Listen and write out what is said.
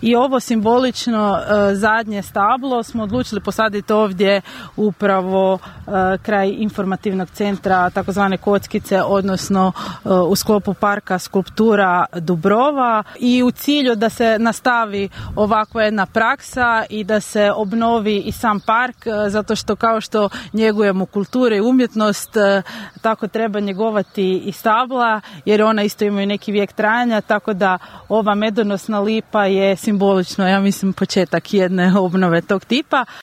i ovo simbolično zadnje stablo smo odlučili posaditi ovdje upravo kraj informativnog centra takozvane Kockice, odnosno u sklopu parka Skulptura Dubrova, i u cilju da se nastavi ovakva jedna praksa i da se obnovi i sam park, zato što kao što njegujemo kulture i umjetnost, tako treba njegovati i stabla, jer ona isto imaju neki vijek trajanja, tako da ova medonosna lipa je simbolično, ja mislim, početak jedne obnove tog tipa.